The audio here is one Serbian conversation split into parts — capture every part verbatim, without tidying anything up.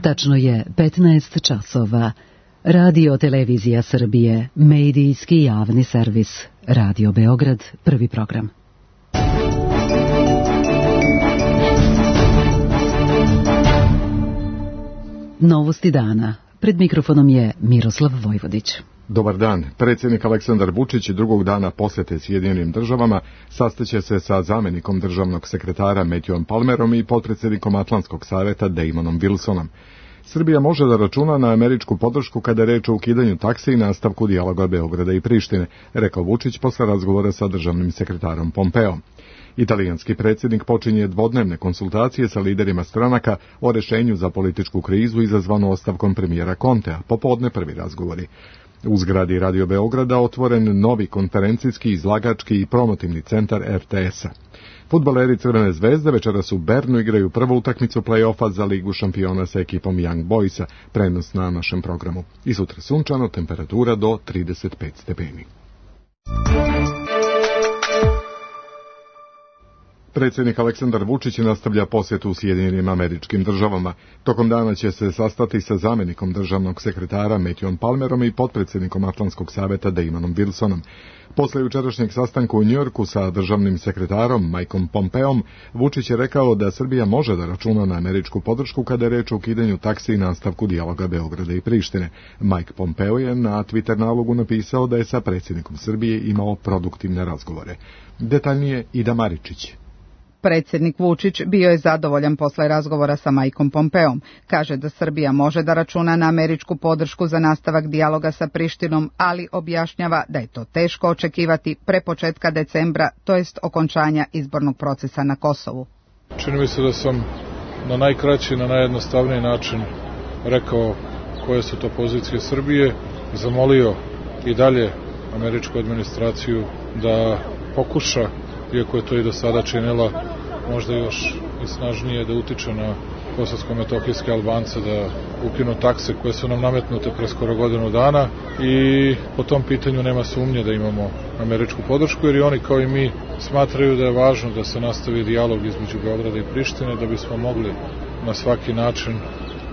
Tačno je petnaest časova. Radio Televizija Srbije, medijski javni servis. Radio Beograd, prvi program. Novosti dana. Pred mikrofonom je Miroslav Vojvodić. Dobar dan. Predsjednik Aleksandar Vučić drugog dana posjete Sjedinjenim državama sastaće se sa zamjenikom državnog sekretara Matthewom Palmerom i potpredsjednikom Atlantskog savjeta Damonom Wilsonom. Srbija može da računa na američku podršku kada je reč o ukidanju taksi i nastavku dijaloga Beograda i Prištine, rekao Vučić posle razgovora sa državnim sekretarom Pompeom. Italijanski predsjednik počinje dvodnevne konsultacije sa liderima stranaka o rešenju za političku krizu izazvanu ostavkom premijera Contea, popodne prvi razgovori. U zgradi Radio Beograda otvoren novi konferencijski, izlagački i promotivni centar er te es-a. Fudbaleri Crvene zvezde večeras u Bernu igraju prvu utakmicu play-offa za Ligu šampiona sa ekipom Young Boysa, prenos na našem programu. I sutra sunčano, temperatura do trideset pet stepeni. Predsjednik Aleksandar Vučić nastavlja posjetu u Sjedinjenim Američkim Državama. Tokom dana će se sastati sa zamjenikom državnog sekretara Matthewom Palmerom i potpredsjednikom Atlantskog savjeta Damonom Wilsonom. Posle jučerašnjeg sastanka u Njujorku sa državnim sekretarom Mikeom Pompeom, Vučić je rekao da Srbija može da računa na američku podršku kada je reč o ukidanju taksi i nastavku dijaloga Beograda i Prištine. Mike Pompeo je na Twitter nalogu napisao da je sa predsjednikom Srbije imao produktivne razgovore. Detaljnije Ida Maričić. Predsjednik Vučić bio je zadovoljan posle razgovora sa Mikeom Pompeom. Kaže da Srbija može da računa na američku podršku za nastavak dijaloga sa Prištinom, ali objašnjava da je to teško očekivati pre početka decembra, to jest okončanja izbornog procesa na Kosovu. Čini mi se da sam na najkraći, na najjednostavniji način rekao koje su to pozicije Srbije, zamolio i dalje američku administraciju da pokuša, iako je to i do sada činila, možda još i snažnije da utiče na kosovsko-metohijske Albance da ukinu takse koje su nam nametnute pre skoro godinu dana i po tom pitanju nema sumnje da imamo američku podršku, jer i oni kao i mi smatraju da je važno da se nastavi dijalog između Beograda i Prištine, da bismo mogli na svaki način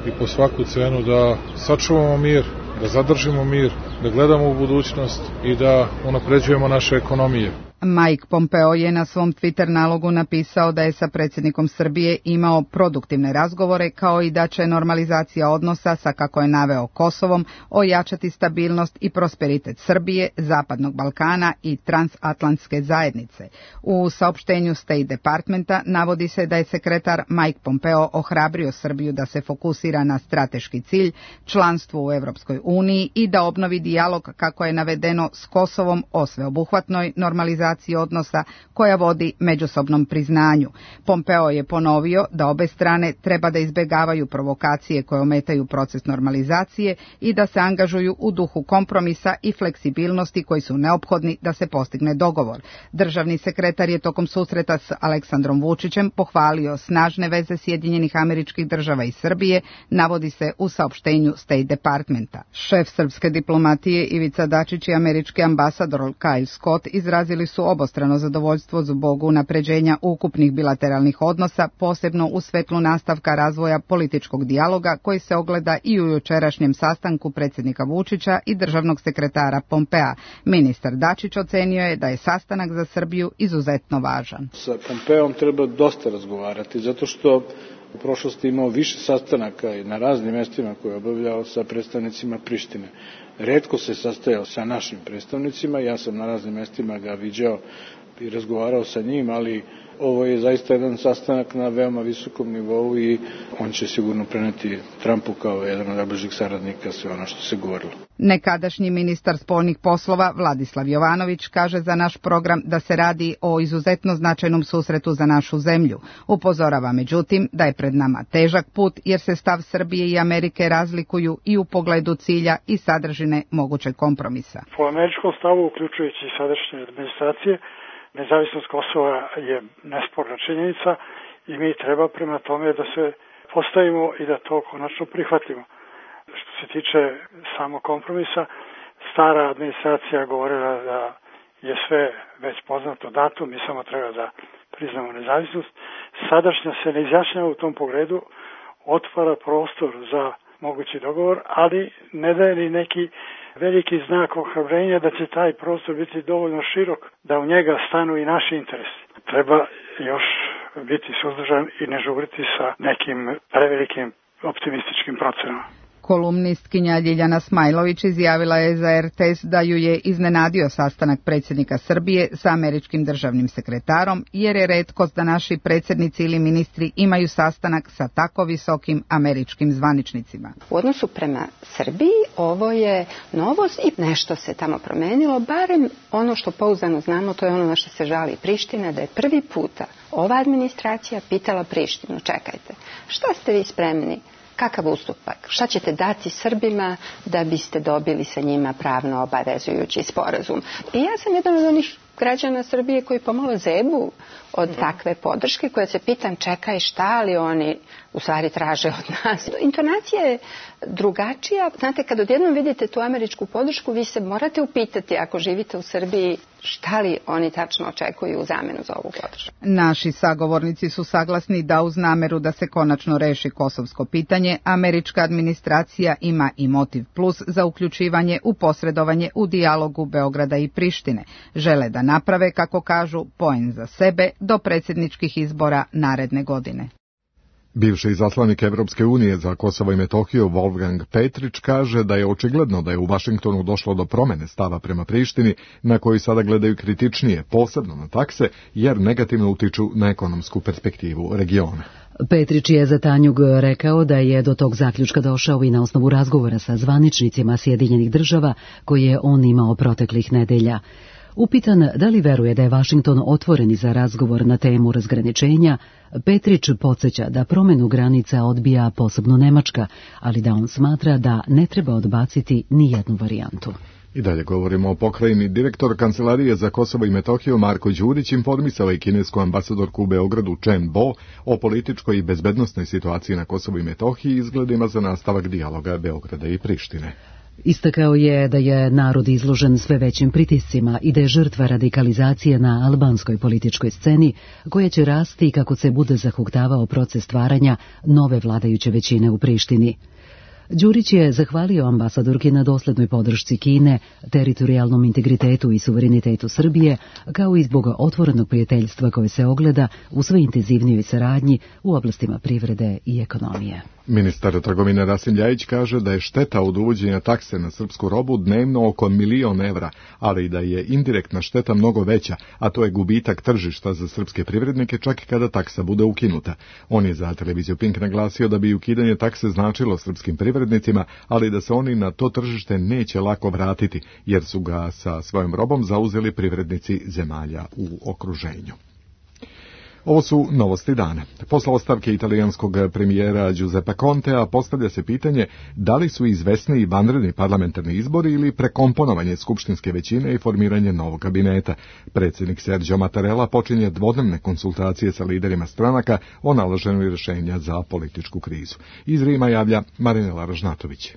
i po svaku cenu da sačuvamo mir, da zadržimo mir, da gledamo u budućnost i da unapređujemo naše ekonomije. Mike Pompeo je na svom Twitter nalogu napisao da je sa predsjednikom Srbije imao produktivne razgovore, kao i da će normalizacija odnosa sa, kako je naveo, Kosovom ojačati stabilnost i prosperitet Srbije, Zapadnog Balkana i transatlantske zajednice. U saopštenju State Departmenta navodi se da je sekretar Mike Pompeo ohrabrio Srbiju da se fokusira na strateški cilj, članstvo u Evropskoj uniji i da obnovi dijalog, kako je navedeno, s Kosovom o sveobuhvatnoj normalizaciji odnosa koja vodi međusobnom priznanju. Pompeo je ponovio da obe strane treba da izbegavaju provokacije koje ometaju proces normalizacije i da se angažuju u duhu kompromisa i fleksibilnosti koji su neophodni da se postigne dogovor. Državni sekretar je tokom susreta s Aleksandrom Vučićem pohvalio snažne veze Sjedinjenih Američkih Država i Srbije, navodi se u saopštenju State Departmenta. Šef srpske diplomatije Ivica Dačić i američki ambasador Kyle Scott izrazili su obostrano zadovoljstvo zbog unapređenja ukupnih bilateralnih odnosa, posebno u svetlu nastavka razvoja političkog dijaloga koji se ogleda i u jučerašnjem sastanku predsjednika Vučića i državnog sekretara Pompea. Ministar Dačić ocenio je da je sastanak za Srbiju izuzetno važan. Sa Pompeom treba dosta razgovarati, zato što u prošlosti imao više sastanaka i na raznim mjestima koje je obavljao sa predstavnicima Prištine. Retko se sastajao sa našim predstavnicima, ja sam na raznim mjestima ga viđao i razgovarao sa njim, ali ovo je zaista jedan sastanak na veoma visokom nivou i on će sigurno preneti Trumpu kao jedan od najbližih saradnika sve ono što se govorilo. Nekadašnji ministar spoljnih poslova Vladislav Jovanović kaže za naš program da se radi o izuzetno značajnom susretu za našu zemlju. Upozorava međutim da je pred nama težak put jer se stav Srbije i Amerike razlikuju i u pogledu cilja i sadržine mogućeg kompromisa. Po američkom stavu, uključujući i sadašnje administracije, nezavisnost Kosova je nesporna činjenica i mi treba prema tome da se postavimo i da to konačno prihvatimo. Što se tiče samog kompromisa, stara administracija govorila da je sve već poznato datum, mi samo treba da priznamo nezavisnost. Sadašnja se ne izjašnjava u tom pogledu, otvara prostor za mogući dogovor, ali ne daje ni neki veliki znak ohrabrenja da će taj prostor biti dovoljno širok da u njega stanu i naši interesi. Treba još biti suzdržan i ne žuriti sa nekim prevelikim optimističkim procenama. Kolumnistkinja Ljiljana Smajlović izjavila je za er te es da ju je iznenadio sastanak predsjednika Srbije sa američkim državnim sekretarom, jer je retkost da naši predsjednici ili ministri imaju sastanak sa tako visokim američkim zvaničnicima. U odnosu prema Srbiji ovo je novost i nešto se tamo promenilo, barem ono što pouzdano znamo, to je ono na što se žali Priština, da je prvi puta ova administracija pitala Prištinu, čekajte, šta ste vi spremni? Kakav ustupak? Šta ćete dati Srbima da biste dobili sa njima pravno obavezujući sporazum? I ja sam jedan od onih građana Srbije koji pomalo zebu od takve podrške, koja se pitam čekaj šta li oni u stvari traže od nas. Intonacija je drugačija. Znate, kad odjednom vidite tu američku podršku, vi se morate upitati ako živite u Srbiji šta li oni tačno očekuju u zamenu za ovu podršku. Naši sagovornici su saglasni da uz nameru da se konačno reši kosovsko pitanje, američka administracija ima i motiv plus za uključivanje u posredovanje u dijalogu Beograda i Prištine. Žele da naprave, kako kažu, poen za sebe do predsjedničkih izbora naredne godine. Bivši izaslanik Evropske unije za Kosovo i Metohiju Wolfgang Petrić kaže da je očigledno da je u Vašingtonu došlo do promene stava prema Prištini, na koju sada gledaju kritičnije, posebno na takse, jer negativno utiču na ekonomsku perspektivu regiona. Petrić je za Tanjug rekao da je do tog zaključka došao i na osnovu razgovora sa zvaničnicima Sjedinjenih država koje je on imao proteklih nedelja. Upitan da li veruje da je Vašington otvoren za razgovor na temu razgraničenja, Petrić podsjeća da promjenu granica odbija posebno Nemačka, ali da on smatra da ne treba odbaciti ni jednu varijantu. I dalje govorimo o pokrajini. Direktor Kancelarije za Kosovo i Metohiju Marko Đurić informisao i kinesku ambasadorku u Beogradu Chen Bo o političkoj i bezbednosnoj situaciji na Kosovu i Metohiji i izgledima za nastavak dijaloga Beograda i Prištine. Istakao je da je narod izložen sve većim pritiscima i da je žrtva radikalizacije na albanskoj političkoj sceni, koja će rasti kako se bude zahuktavao proces stvaranja nove vladajuće većine u Prištini. Đurić je zahvalio ambasadorki na doslednoj podršci Kine, teritorijalnom integritetu i suverenitetu Srbije, kao i zbog otvorenog prijateljstva koje se ogleda u sve intenzivnijoj saradnji u oblastima privrede i ekonomije. Ministar trgovine Rasim Ljajić kaže da je šteta od uvođenja takse na srpsku robu dnevno oko milion evra, ali i da je indirektna šteta mnogo veća, a to je gubitak tržišta za srpske privrednike čak i kada taksa bude ukinuta. On je za televiziju Pink naglasio da bi ukidanje takse značilo srpskim privrednicima, ali da se oni na to tržište neće lako vratiti, jer su ga sa svojom robom zauzeli privrednici zemalja u okruženju. Ovo su novosti dana. Posle ostavke italijanskog premijera Giuseppe Contea postavlja se pitanje da li su izvesni i vanredni parlamentarni izbori ili prekomponovanje skupštinske većine i formiranje novog kabineta. Predsjednik Sergio Mattarella počinje dvodnevne konsultacije sa liderima stranaka o nalaženju rješenja za političku krizu. Iz Rima javlja Marinela Ražnatović.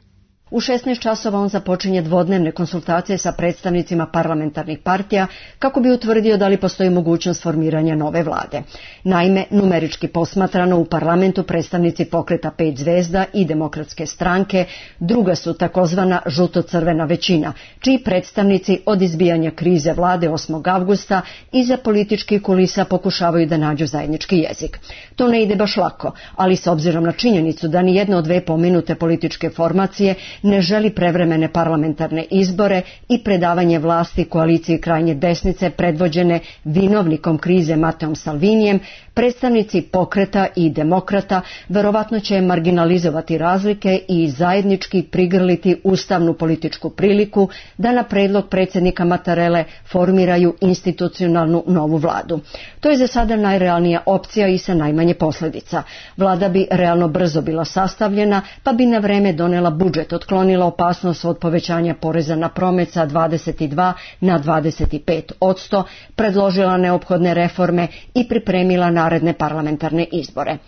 U šesnaest časova on započinje dvodnevne konsultacije sa predstavnicima parlamentarnih partija kako bi utvrdio da li postoji mogućnost formiranja nove vlade. Naime, numerički posmatrano u parlamentu predstavnici pokreta pet zvezda i demokratske stranke, druga su takozvana žuto-crvena većina, čiji predstavnici od izbijanja krize vlade osmog avgusta iza političkih kulisa pokušavaju da nađu zajednički jezik. To ne ide baš lako, ali s obzirom na činjenicu da ni jedna od dve pomenute političke formacije ne želi prevremene parlamentarne izbore i predavanje vlasti koaliciji krajnje desnice predvođene vinovnikom krize Mateom Salvinijem, predstavnici pokreta i demokrata verovatno će marginalizovati razlike i zajednički prigrliti ustavnu političku priliku da na predlog predsjednika Mattarelle formiraju institucionalnu novu vladu. To je za sada najrealnija opcija i sa najmanje posljedica. Vlada bi realno brzo bila sastavljena, pa bi na vreme donela budžet od otklonila opasnost od povećanja poreza na promet sa dvadeset dva na dvadeset pet odsto, predložila neophodne reforme i pripremila naredne parlamentarne izbore.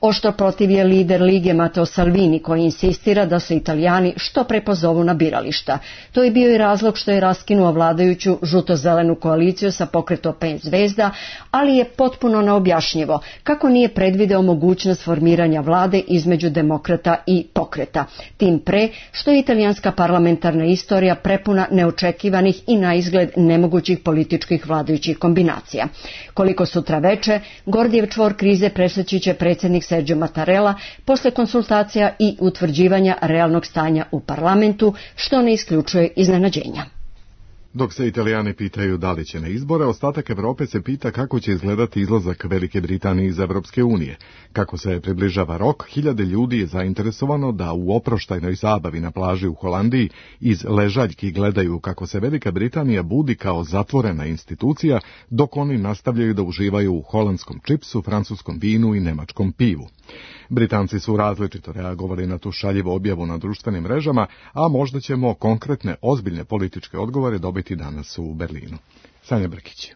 Oštro protiv je lider Lige Matteo Salvini, koji insistira da se Italijani što pre pozovu na birališta. To je bio i razlog što je raskinuo vladajuću žuto-zelenu koaliciju sa pokretom pet zvezda, ali je potpuno neobjašnjivo kako nije predvideo mogućnost formiranja vlade između demokrata i pokreta. Tim pre što je italijanska parlamentarna istorija prepuna neočekivanih i na izgled nemogućih političkih vladajućih kombinacija. Koliko sutra veče, Gordijev čvor krize presjeći će predsjednik Sergio Mattarella posle konsultacija i utvrđivanja realnog stanja u parlamentu, što ne isključuje iznenađenja. Dok se Italijani pitaju da li će na izbore, ostatak Evrope se pita kako će izgledati izlazak Velike Britanije iz Evropske unije. Kako se približava rok, hiljade ljudi je zainteresovano da u oproštajnoj zabavi na plaži u Holandiji iz ležaljki gledaju kako se Velika Britanija budi kao zatvorena institucija, dok oni nastavljaju da uživaju u holandskom čipsu, francuskom vinu i nemačkom pivu. Britanci su različito reagovali na tu šaljivu objavu na društvenim mrežama, a možda ćemo konkretne, ozbiljne političke odgovore dobiti danas u Berlinu. Sanja Brkić.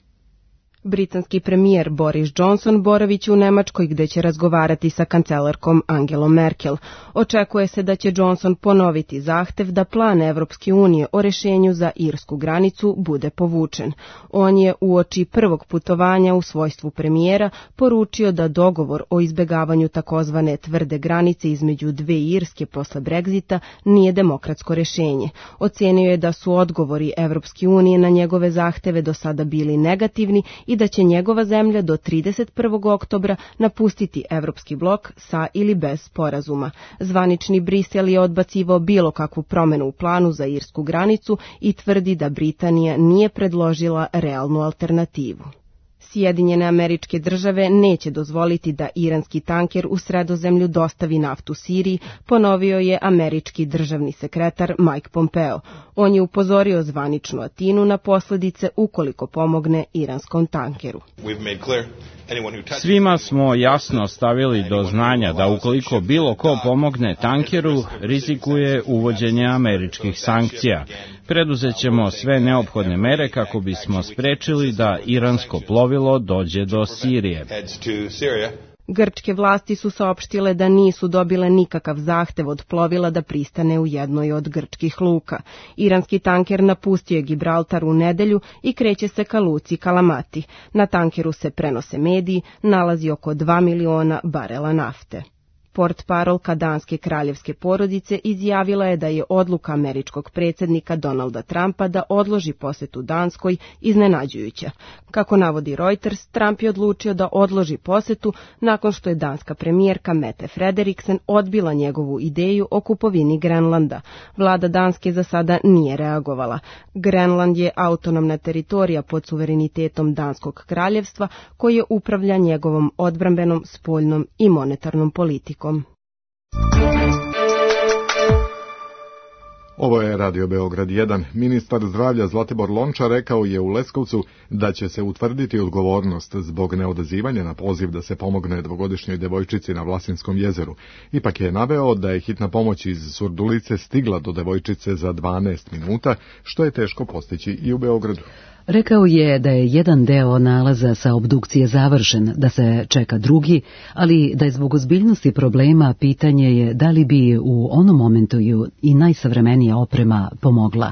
Britanski premijer Boris Johnson boraviće u Nemačkoj gde će razgovarati sa kancelarkom Angelom Merkel. Očekuje se da će Johnson ponoviti zahtev da plan Evropske unije o rešenju za irsku granicu bude povučen. On je uoči prvog putovanja u svojstvu premijera poručio da dogovor o izbegavanju takozvane tvrde granice između dve Irske posle Brexita nije demokratsko rešenje. Ocenio je da su odgovori Evropske unije na njegove zahteve do sada bili negativni i da će njegova zemlja do trideset prvog oktobra napustiti Evropski blok sa ili bez sporazuma. Zvanični Brisel je odbacivao bilo kakvu promenu u planu za irsku granicu i tvrdi da Britanija nije predložila realnu alternativu. Sjedinjene Američke Države neće dozvoliti da iranski tanker u Sredozemlju dostavi naftu Siriji, ponovio je američki državni sekretar Mike Pompeo. On je upozorio zvaničnu Atinu na posljedice ukoliko pomogne iranskom tankeru. Svima smo jasno stavili do znanja da ukoliko bilo ko pomogne tankeru, rizikuje uvođenje američkih sankcija. Preduzet ćemo sve neophodne mere kako bismo sprečili da iransko plovilo dođe do Sirije. Grčke vlasti su saopštile da nisu dobile nikakav zahtev od plovila da pristane u jednoj od grčkih luka. Iranski tanker napustio je Gibraltar u nedelju i kreće se ka luci Kalamati. Na tankeru se prenose mediji, nalazi oko dva miliona barela nafte. Portparolka danske kraljevske porodice izjavila je da je odluka američkog predsjednika Donalda Trumpa da odloži posetu Danskoj iznenađujuća. Kako navodi Reuters, Trump je odlučio da odloži posetu nakon što je danska premijerka Mette Frederiksen odbila njegovu ideju o kupovini Grenlanda. Vlada Danske za sada nije reagovala. Grenland je autonomna teritorija pod suverenitetom Danskog kraljevstva koje upravlja njegovom odbrambenom, spoljnom i monetarnom politikom. Ovo je Radio Beograd jedan. Ministar zdravlja Zlatibor Lončar rekao je u Leskovcu da će se utvrditi odgovornost zbog neodazivanja na poziv da se pomogne dvogodišnjoj devojčici na Vlasinskom jezeru. Ipak je naveo da je hitna pomoć iz Surdulice stigla do devojčice za dvanaest minuta, što je teško postići i u Beogradu. Rekao je da je jedan deo nalaza sa obdukcije završen, da se čeka drugi, ali da je zbog ozbiljnosti problema pitanje je da li bi u onom momentu i najsavremenija oprema pomogla.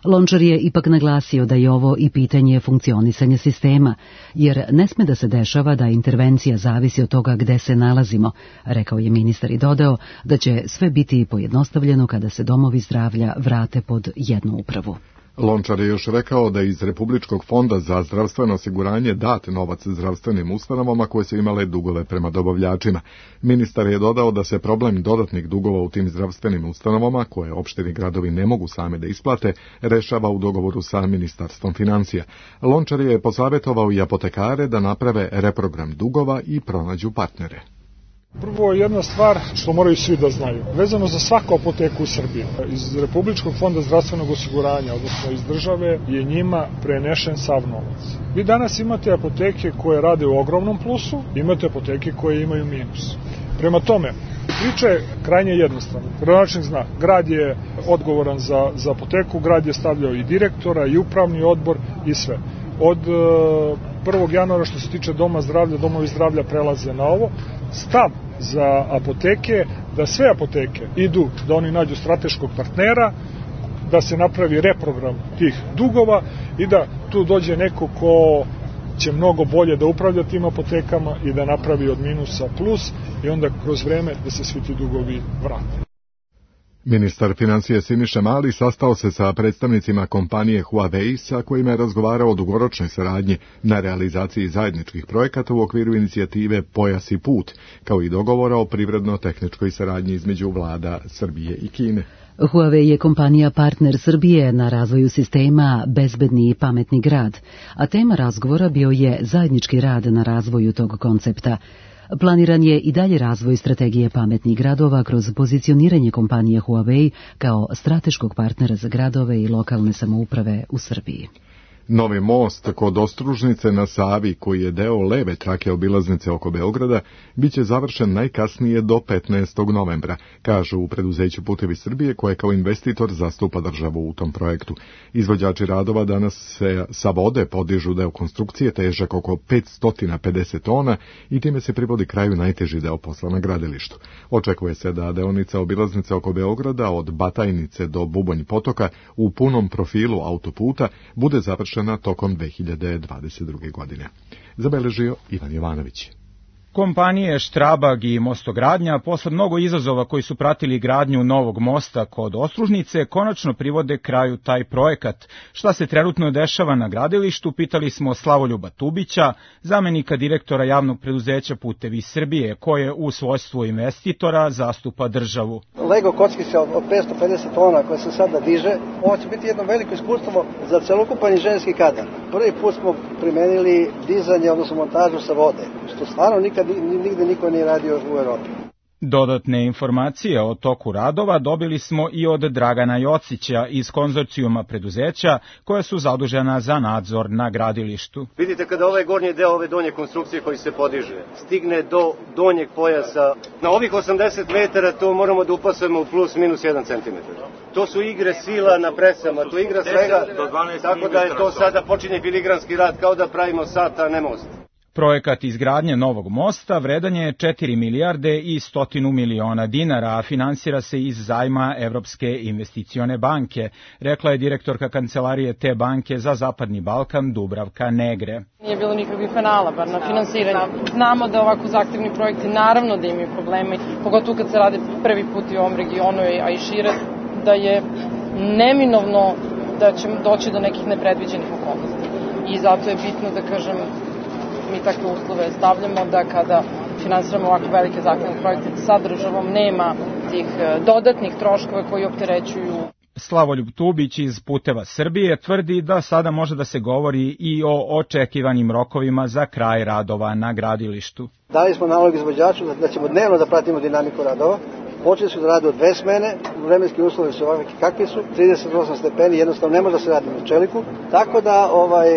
Lončar je ipak naglasio da je ovo i pitanje funkcionisanja sistema, jer ne sme da se dešava da intervencija zavisi od toga gde se nalazimo, rekao je ministar i dodao da će sve biti pojednostavljeno kada se domovi zdravlja vrate pod jednu upravu. Lončar je još rekao da iz Republičkog fonda za zdravstveno osiguranje dat novac zdravstvenim ustanovama koje su imale dugove prema dobavljačima. Ministar je dodao da se problem dodatnih dugova u tim zdravstvenim ustanovama, koje opštini gradovi ne mogu same da isplate, rešava u dogovoru sa Ministarstvom financija. Lončar je posavjetovao i apotekare da naprave reprogram dugova i pronađu partnere. Prvo, jedna stvar što moraju svi da znaju, vezano za svaku apoteku u Srbiji. Iz Republičkog fonda zdravstvenog osiguranja, odnosno iz države, je njima prenešen sav novac. Vi danas imate apoteke koje rade u ogromnom plusu, imate apoteke koje imaju minus. Prema tome, Priča je krajnje jednostavna. Gradonačelnik zna, grad je odgovoran za, za apoteku, grad je stavljao i direktora, i upravni odbor i sve. Od prvog januara što se tiče doma zdravlja, domovi zdravlja prelaze na ovo. Stav za apoteke, da sve apoteke idu, da oni nađu strateškog partnera, da se napravi reprogram tih dugova i da tu dođe neko ko će mnogo bolje da upravlja tim apotekama i da napravi od minusa plus i onda kroz vreme da se svi ti dugovi vrate. Ministar financije Siniša Mali sastao se sa predstavnicima kompanije Huawei sa kojima je razgovarao o dugoročnoj saradnji na realizaciji zajedničkih projekata u okviru inicijative Pojas i put, kao i dogovora o privredno-tehničkoj saradnji između vlada Srbije i Kine. Huawei je kompanija partner Srbije na razvoju sistema Bezbedni i pametni grad, a tema razgovora bio je zajednički rad na razvoju tog koncepta. Planiran je i dalje razvoj strategije pametnih gradova kroz pozicioniranje kompanije Huawei kao strateškog partnera za gradove i lokalne samouprave u Srbiji. Novi most kod Ostružnice na Savi, koji je deo leve trake obilaznice oko Beograda, biće završen najkasnije do petnaestog novembra, kažu u preduzeću Putevi Srbije, koje kao investitor zastupa državu u tom projektu. Izvođači radova danas se sa vode podižu deo konstrukcije težak oko petsto pedeset tona i time se privodi kraju najteži deo posla na gradilištu. Očekuje se da deonica obilaznice oko Beograda od Batajnice do Bubanj potoka u punom profilu autoputa bude završena na tokom dve hiljade dvadeset druge. godine. Zabeležio Ivan Jovanović. Kompanije Štrabag i Mostogradnja, posle mnogo izazova koji su pratili gradnju novog mosta kod Ostružnice, konačno privode kraju taj projekat. Šta se trenutno dešava na gradilištu, pitali smo Slavoljuba Tubića, zamenika direktora javnog preduzeća Putevi Srbije, koje u svojstvu investitora zastupa državu. Lego kockice od petsto pedeset tona koje se sada diže, ovo će biti jedno veliko iskustvo za celokupan inženjerski kadar. Prvi put smo primenili dizanje, odnosno montažu sa vode, što stvarno nikad nigde niko nije radio u Evropi. Dodatne informacije o toku radova dobili smo i od Dragana Jocića iz konzorcijuma preduzeća koja su zadužena za nadzor na gradilištu. Vidite kada ovaj gornji deo ove donje konstrukcije koji se podiže stigne do donjeg pojasa, na ovih osamdeset metara to moramo da upasujemo u plus minus jedan centimetar. To su igre sila na presama, to igra svega, tako da je to sada počinje filigranski rad kao da pravimo sat, a ne most. Projekat izgradnje novog mosta vredan je četiri milijarde i stotinu miliona dinara, a finansira se iz zajma Evropske investicione banke, rekla je direktorka kancelarije te banke za Zapadni Balkan Dubravka Negre. Nije bilo nikakvih penala, bar na finansiranje. Znamo da ovako zahtevni projekti naravno da imaju probleme, pogotovo kad se rade prvi put i u ovom regionu, a i šire, da je neminovno da će doći do nekih nepredviđenih okolnosti. I zato je bitno da kažem, mi takve uslove stavljamo da kada finansiramo ovako velike zahtevne projekte sa državom nema tih dodatnih troškova koji opterećuju. Slavoljub Tubić iz Puteva Srbije tvrdi da sada može da se govori i o očekivanim rokovima za kraj radova na gradilištu. Dali smo nalog izvođaču da ćemo dnevno da pratimo dinamiku radova. Počeli su da rade od dve smene, vremenski uslovi su ovakvi kakvi su, trideset osam stepeni, jednostavno ne može da se radi na čeliku, tako da ovaj,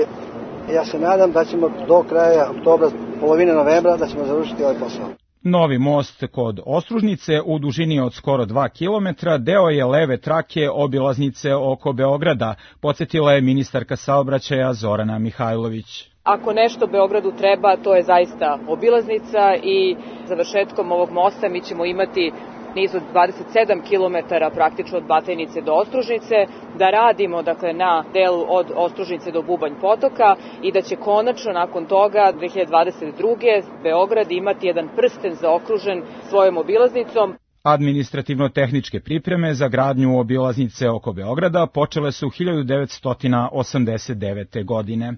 ja se nadam da ćemo do kraja oktobra, polovine novembra, da ćemo završiti ovaj posao. Novi most kod Ostružnice u dužini od skoro dva kilometra deo je leve trake obilaznice oko Beograda, podsjetila je ministarka saobraćaja Zorana Mihajlović. Ako nešto Beogradu treba, to je zaista obilaznica i završetkom ovog mosta mi ćemo imati niz od dvadeset sedam kilometara praktično od Batajnice do Ostružnice, da radimo dakle na delu od Ostružnice do Bubanj potoka i da će konačno nakon toga dve hiljade dvadeset druge. Beograd imati jedan prsten zaokružen svojom obilaznicom. Administrativno-tehničke pripreme za gradnju obilaznice oko Beograda počele su hiljadu devetsto osamdeset devete. godine.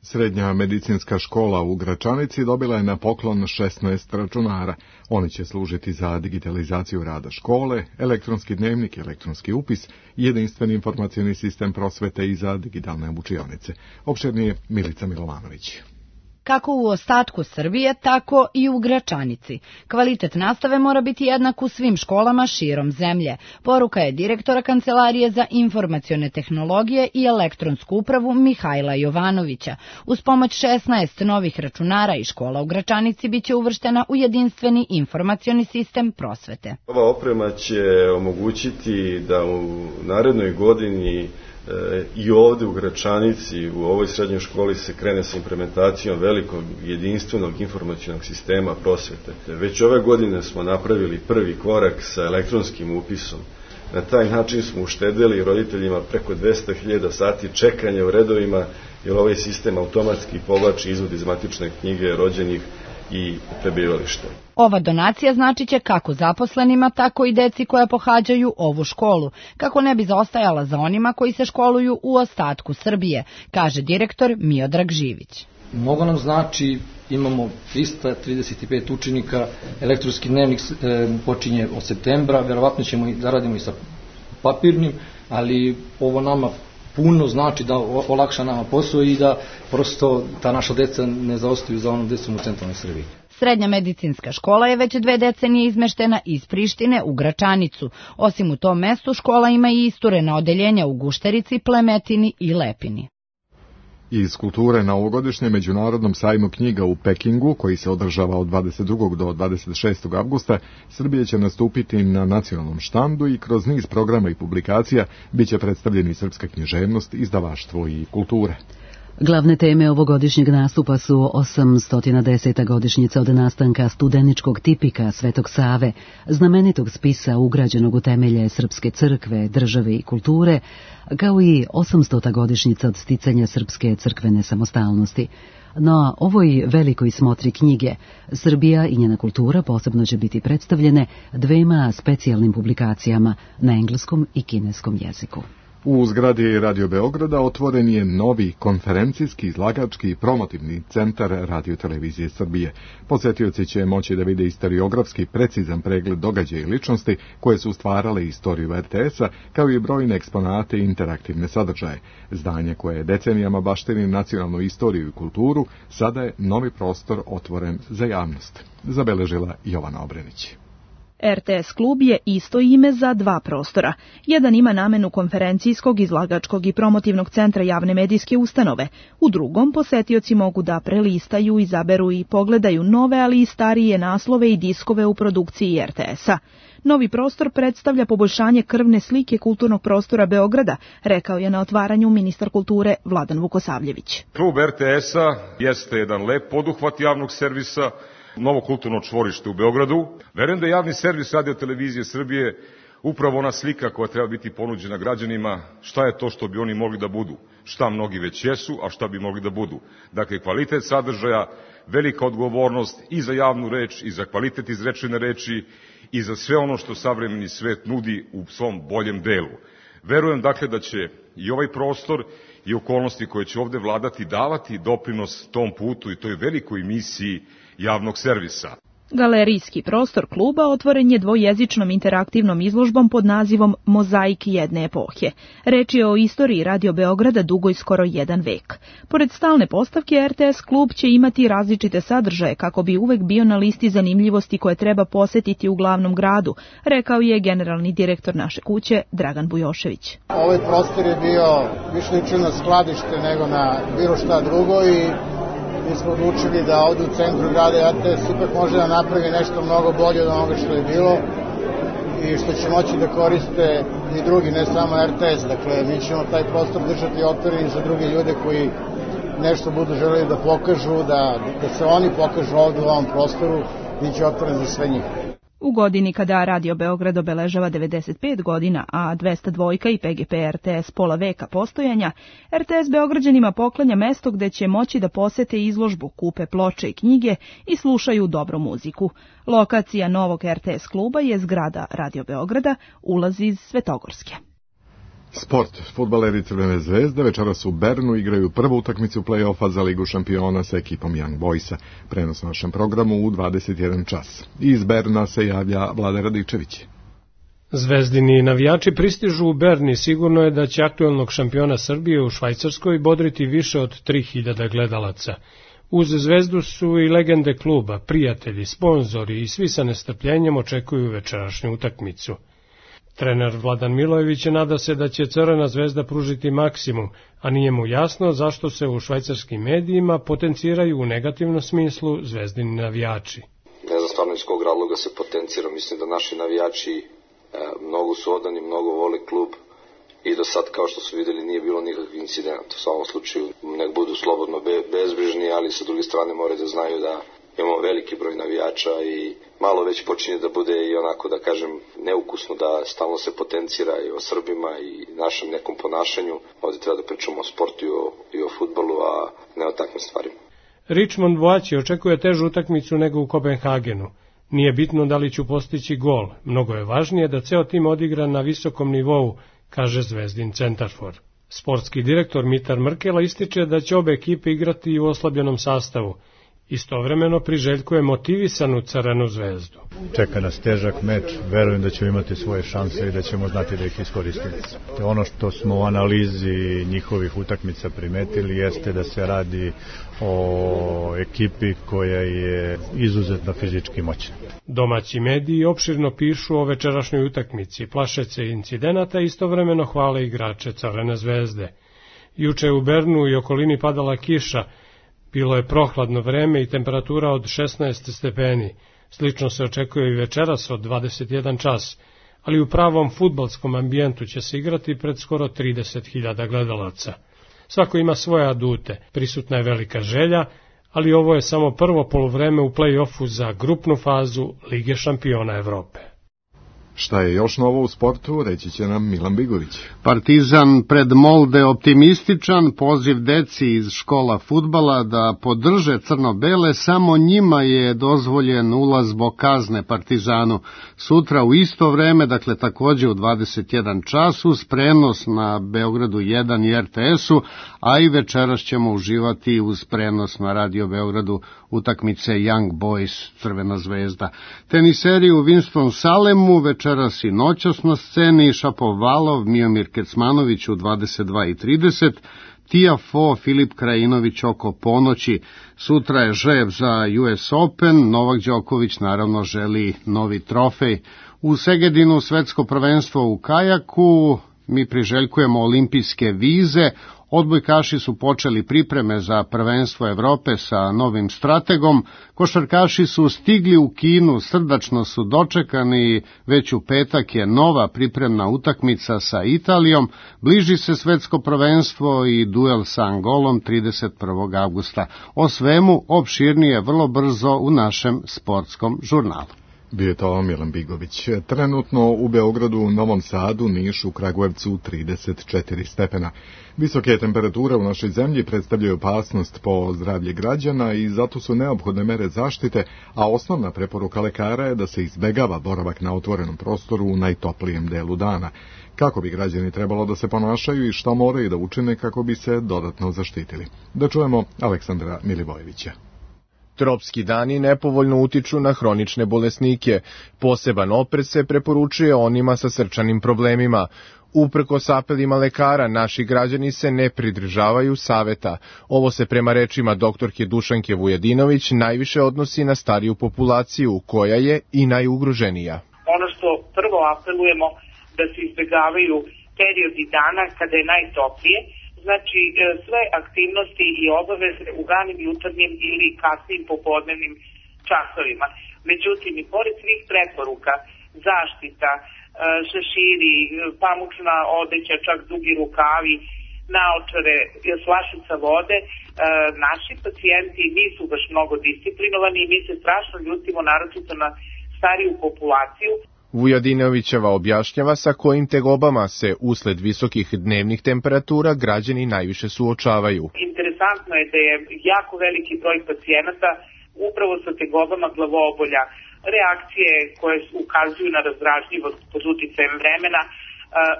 Srednja medicinska škola u Gračanici dobila je na poklon šesnaest računara. Oni će služiti za digitalizaciju rada škole, elektronski dnevnik, elektronski upis, jedinstveni informacioni sistem prosvete i za digitalne učionice. Opširnije Milica Milovanović. kako u ostatku Srbije, tako i u Gračanici. Kvalitet nastave mora biti jednak u svim školama širom zemlje. Poruka je direktora Kancelarije za informacione tehnologije i elektronsku upravu Mihajla Jovanovića. Uz pomoć šesnaest novih računara i škola u Gračanici biće uvrštena u jedinstveni informacioni sistem prosvete. Ova oprema će omogućiti da u narednoj godini e, i ovde u Gračanici, u ovoj srednjoj školi se krene sa implementacijom velikog jedinstvenog informacionog sistema prosvete. Već ove godine smo napravili prvi korak sa elektronskim upisom. Na taj način smo uštedeli roditeljima preko dvesta hiljada sati čekanja u redovima, jer ovaj sistem automatski povlači izvod iz matične knjige rođenih i prebivališta. Ova donacija značiće kako zaposlenima, tako i deci koja pohađaju ovu školu, kako ne bi zaostajala za onima koji se školuju u ostatku Srbije, kaže direktor Miodrag Živić. Mnogo nam znači, imamo trista trideset pet učenika, elektronski dnevnik e, počinje od septembra, verovatno ćemo da radimo i sa papirnim, ali ovo nama puno znači da olakša nama posao i da prosto ta naša deca ne zaostaju za onom decom u centralnoj Srbiji. Srednja medicinska škola je već dve decenije izmeštena iz Prištine u Gračanicu. Osim u tom mestu, škola ima i isturena odeljenja u Gušterici, Plemetini i Lepini. Iz kulture na ovogodišnjem međunarodnom sajmu knjiga u Pekingu, koji se održava od dvadeset drugog do dvadeset šestog avgusta, Srbija će nastupiti na nacionalnom štandu i kroz niz programa i publikacija biće predstavljeni srpska književnost, izdavaštvo i kulture. Glavne teme ovogodišnjeg nastupa su osamsto deseta godišnjica od nastanka studeničkog tipika Svetog Save, znamenitog spisa ugrađenog u temelje Srpske crkve, države i kulture, kao i osamstota godišnjica od sticanja srpske crkvene samostalnosti. Na ovoj velikoj smotri knjige Srbija i njena kultura posebno će biti predstavljene dvema specijalnim publikacijama na engleskom i kineskom jeziku. U zgradi Radio Beograda otvoren je novi konferencijski, izlagački i promotivni centar Radio-televizije Srbije. Posjetioci će moći da vide istoriografski precizan pregled događaja i ličnosti koje su stvarale istoriju er te es-a, kao i brojne eksponate i interaktivne sadržaje. Zdanje koje je decenijama baštini nacionalnu istoriju i kulturu, sada je novi prostor otvoren za javnost, zabeležila Jovana Obrenić. er te es klub je isto ime za dva prostora. Jedan ima namenu konferencijskog, izlagačkog i promotivnog centra javne medijske ustanove. U drugom posetioci mogu da prelistaju, izaberu i pogledaju nove, ali i starije naslove i diskove u produkciji er te es-a. Novi prostor predstavlja poboljšanje krvne slike kulturnog prostora Beograda, rekao je na otvaranju ministar kulture Vladan Vukosavljević. Klub er te es-a jeste jedan lep poduhvat javnog servisa, novo kulturno čvorište u Beogradu. Verujem da je javni servis Radio-televizije Srbije upravo ona slika koja treba biti ponuđena građanima, šta je to što bi oni mogli da budu, šta mnogi već jesu, a šta bi mogli da budu. Dakle, kvalitet sadržaja, velika odgovornost i za javnu reč, i za kvalitet izrečene reči, i za sve ono što savremeni svet nudi u svom boljem delu. Verujem, dakle, da će i ovaj prostor i okolnosti koje će ovde vladati davati doprinos tom putu i toj velikoj misiji javnog servisa. Galerijski prostor kluba otvoren je dvojezičnom interaktivnom izložbom pod nazivom Mozaik jedne epohe. Reč je o istoriji Radio Beograda dugoj skoro jedan vek. Pored stalne postavke, er te es klub će imati različite sadržaje kako bi uvek bio na listi zanimljivosti koje treba posetiti u glavnom gradu, rekao je generalni direktor naše kuće Dragan Bujošević. Ovaj prostor je bio više ličio na skladište nego na bilo šta drugo i mi smo odlučili da ovdje u centru grada er te es ipak može da napravi nešto mnogo bolje od onoga što je bilo i što će moći da koriste i drugi, ne samo er te es. Dakle, mi ćemo taj prostor držati otvoren za druge ljude koji nešto budu želeli da pokažu, da, da se oni pokažu ovdje u ovom prostoru, bit će otvoren za sve njih. U godini kada Radio Beograd obeležava devedeset pet godina, a dvesta dva i pe ge pe er te es pola veka postojanja, er te es Beograđanima poklanja mesto gde će moći da posete izložbu, kupe ploče i knjige i slušaju dobru muziku. Lokacija novog er te es kluba je zgrada Radio Beograda, ulaz iz Svetogorske. Sport. Fudbaleri Crvene zvezde večeras u Bernu igraju prvu utakmicu play-offa za Ligu šampiona sa ekipom Young Boysa. Prenos na našem programu u dvadeset jedan čas. Iz Berna se javlja Vlada Radičević. Zvezdini navijači pristižu u Berni, sigurno je da će aktuelnog šampiona Srbije u Švajcarskoj bodriti više od tri hiljade gledalaca. Uz Zvezdu su i legende kluba, prijatelji, sponzori i svi sa nestrpljenjem očekuju večerašnju utakmicu. Trener Vladan Milojević nada se da će Crvena Zvezda pružiti maksimum, a nije mu jasno zašto se u švajcarskim medijima potenciraju u negativnom smislu zvezdini navijači. Ne znam stvarno iz kog razloga se potencira, mislim da naši navijači e, mnogo su odani, mnogo vole klub i do sad, kao što su videli, nije bilo nikakvih incidenta. U svakom slučaju nek budu slobodno be, bezbrižni, ali sa druge strane moraju da znaju da imamo veliki broj navijača i malo već počinje da bude i onako, da kažem, neukusno da stalno se potencira i o Srbima i našem nekom ponašanju. Ovdje treba da pričamo o sportu i o, i o fudbalu, a ne o takvim stvarima. Richmond Boaći očekuje težu utakmicu nego u Kopenhagenu. Nije bitno da li ću postići gol, mnogo je važnije da ceo tim odigra na visokom nivou, kaže Zvezdin centarfor. Sportski direktor Mitar Mrkela ističe da će obe ekipe igrati u oslabljenom sastavu. Istovremeno priželjkuje motivisanu Crvenu Zvezdu. Čeka nas težak meč, verujem da ćemo imati svoje šanse i da ćemo znati da ih iskoristimo. Ono što smo u analizi njihovih utakmica primetili jeste da se radi o ekipi koja je izuzetno fizički moćna. Domaći mediji opširno pišu o večerašnjoj utakmici, plaše se incidenata i istovremeno hvale igrače Crvene Zvezde. Juče u Bernu i okolini padala kiša, bilo je prohladno vreme i temperatura od šesnaest stepeni. Slično se očekuje i večeras od dvadeset jedan čas, ali u pravom fudbalskom ambijentu će se igrati pred skoro trideset hiljada gledalaca. Svako ima svoje adute, prisutna je velika želja, ali ovo je samo prvo poluvreme u play-offu za grupnu fazu Lige šampiona Evrope. Šta je još novo u sportu, reći će nam Milan Bigović. Partizan pred Molde optimističan, poziv deci iz škola fudbala da podrže crno-bele, samo njima je dozvoljen ulaz zbog kazne Partizanu. Sutra u isto vreme, dakle takođe u dvadeset jedan čas, uz prenos na Beogradu jedan i R T S-u, a i večeras ćemo uživati uz prenos na Radio Beogradu utakmice Young Boys Crvena Zvezda. Teniseri u Winston-Salemu večeras i noćas na sceni Šapovalov, Miomir Kecmanović u dvadeset dva i trideset, Tiafoe, Filip Krajinović oko ponoći. Sutra je žreb za U S Open, Novak Đoković naravno želi novi trofej. U Segedinu svetsko prvenstvo u kajaku, mi priželjkujemo olimpijske vize. Odbojkaši su počeli pripreme za prvenstvo Evrope sa novim strategom. Košarkaši su stigli u Kinu, srdačno su dočekani, već u petak je nova pripremna utakmica sa Italijom. Bliži se svetsko prvenstvo i duel sa Angolom trideset prvog avgusta. O svemu opširnije vrlo brzo u našem sportskom žurnalu. Bio je to Milan Bigović. Trenutno u Beogradu, u Novom Sadu, Nišu, Kragujevcu trideset četiri stepena. Visoke temperature u našoj zemlji predstavljaju opasnost po zdravlje građana i zato su neophodne mere zaštite, a osnovna preporuka lekara je da se izbegava boravak na otvorenom prostoru u najtoplijem delu dana. Kako bi građani trebalo da se ponašaju i šta moraju da učine kako bi se dodatno zaštitili? Da čujemo Aleksandra Milivojevića. Tropski dani nepovoljno utiču na hronične bolesnike. Poseban oprez se preporučuje onima sa srčanim problemima. Uprkos apelima lekara, naši građani se ne pridržavaju saveta. Ovo se prema rečima doktorke Dušanke Vujadinović najviše odnosi na stariju populaciju, koja je i najugroženija. Ono što prvo apelujemo da se izbegavaju periodi dana kada je najtoplije, znači sve aktivnosti i obaveze u ranim jutarnjim ili kasnim popodnevnim časovima. Međutim, i pored svih preporuka, zaštita, šeširi, pamučna odeća, čak dugi rukavi, naočare, flašica vode, naši pacijenti nisu baš mnogo disciplinovani i mi se strašno ljutimo, naročito na stariju populaciju. Vujadinovićeva objašnjava sa kojim tegobama se usled visokih dnevnih temperatura građani najviše suočavaju. Interesantno je da je jako veliki broj pacijenata upravo sa tegobama glavoobolja, reakcije koje ukazuju na razdražljivost pod uticajem vremena,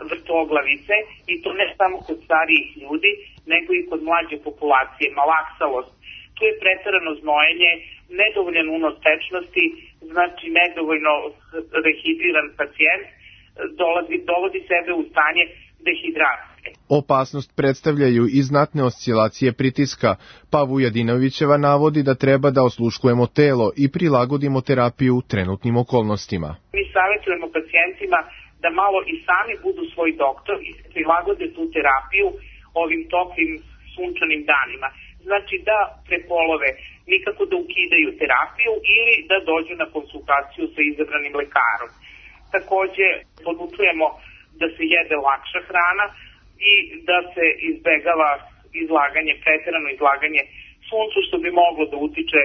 vrtoglavice, i to ne samo kod starijih ljudi, nego i kod mlađe populacije, malaksalost. Tu je preterano znojenje, nedovoljan unos tečnosti, znači nedovoljno rehidriran pacijent, dolazi, dovodi sebe u stanje dehidracije. Opasnost predstavljaju i znatne oscilacije pritiska, pa Vujadinovićeva navodi da treba da osluškujemo telo i prilagodimo terapiju trenutnim okolnostima. Mi savjetujemo pacijentima da malo i sami budu svoj doktor i prilagode tu terapiju ovim toplim sunčanim danima. Znači da prepolove, nikako da ukidaju terapiju ili da dođu na konsultaciju sa izabranim lekarom. Takođe, podučujemo da se jede lakša hrana i da se izbegava izlaganje, preterano izlaganje suncu, što bi moglo da utiče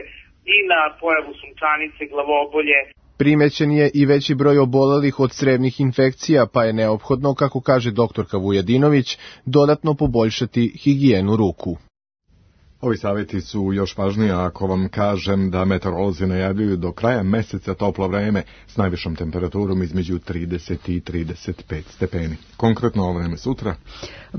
i na pojavu sunčanice, glavobolje. Primećen je i veći broj obolelih od crevnih infekcija, pa je neophodno, kako kaže doktorka Vujadinović, dodatno poboljšati higijenu ruku. Ovi savjeti su još važniji ako vam kažem da meteorolozi najavljuju do kraja meseca toplo vreme s najvišom temperaturom između trideset i trideset pet stepeni. Konkretno ovo vreme sutra.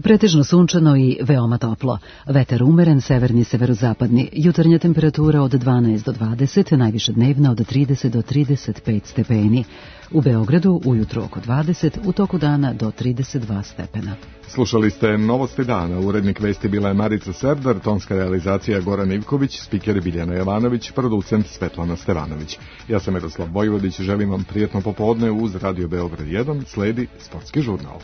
Pretežno sunčano i veoma toplo. Vetar umeren, severni, severozapadni. Jutarnja temperatura od dvanaest do dvadeset, najviše dnevna od trideset do trideset pet stepeni. U Beogradu ujutro oko dvadeset, u toku dana do trideset dva stepena. Slušali ste Novosti dana. Urednik vesti bila je Marica Serdar, tonska realizacija Goran Ivković, spiker Biljana Jovanović, producent Svetlana Stevanović. Ja sam Miroslav Bojvodić, želim vam prijetno popodne uz Radio Beograd jedan, sledi sportski žurnal.